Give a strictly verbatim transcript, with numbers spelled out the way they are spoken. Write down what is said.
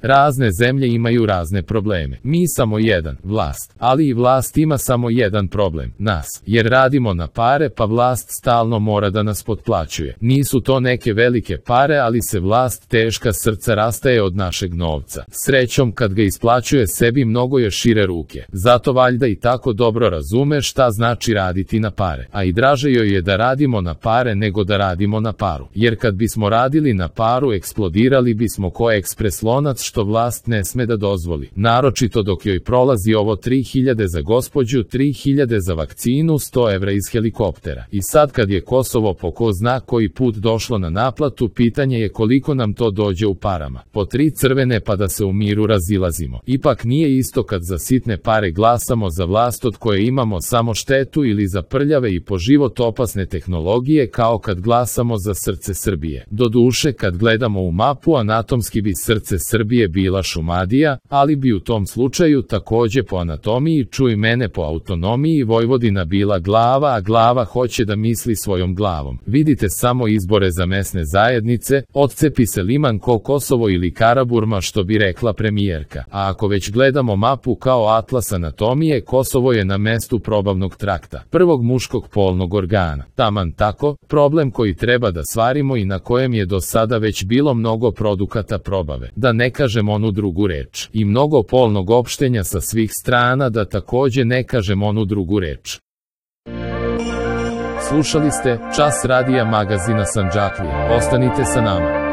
Razne zemlje imaju razne probleme. Mi samo jedan, vlast. Ali i vlast ima samo jedan problem, nas. Jer radimo na pare, pa vlast stalno mora da nas potplaćuje. Nisu to neke velike pare, ali se vlast teška srca rastaje od našeg novca. Srećom kad ga isplaćuje sebi mnogo je šire ruke. Zato valjda i tako dobro razume šta znači raditi na pare. A i draže joj je da radimo na pare nego da radimo na paru. Jer kad bismo radili na paru, eksplodirali bismo ko ekspres lonac što vlast ne sme da dozvoli. Naročito dok joj prolazi ovo tri hiljade za gospođu, tri hiljade za vakcinu, sto evra iz helikoptera. I sad kad je Kosovo po ko zna koji put došlo na naplatu, pitanje je koliko nam to dođe u parama. Po tri crvene pa da se u miru razilazimo. Ipak nije isto kad za sitne pare glasamo za vlast od koje imamo samo štetu ili za prljave i po život opasne tehnologije kao kad glasamo za srce Srbije. Doduše kad gledamo u mapu, anatomski bi srce Srbije bila Šumadija, ali bi u tom slučaju takođe po anatomiji, čuj mene, po autonomiji Vojvodina bila glava, a glava hoće da misli svojom glavom. Vidite samo izbore za mesne zajednice, odcepi se liman ko Kosovo ili Karaburma što bi rekla premijerka. A ako već gledamo mapu kao atlas anatomije, Kosovo je na mestu probavnog trakta, prvog muškog polnog organa. Taman tako, problem koji treba da stvarimo i na kojem je do sada već bilo mnogo produkata probave. Da ne kažem onu drugu reč. I mnogo polnog opštenja sa svih strana, da takođe ne kažem onu drugu reč. Slušali ste Čas radija magazina Sandžaklija. Ostanite sa nama.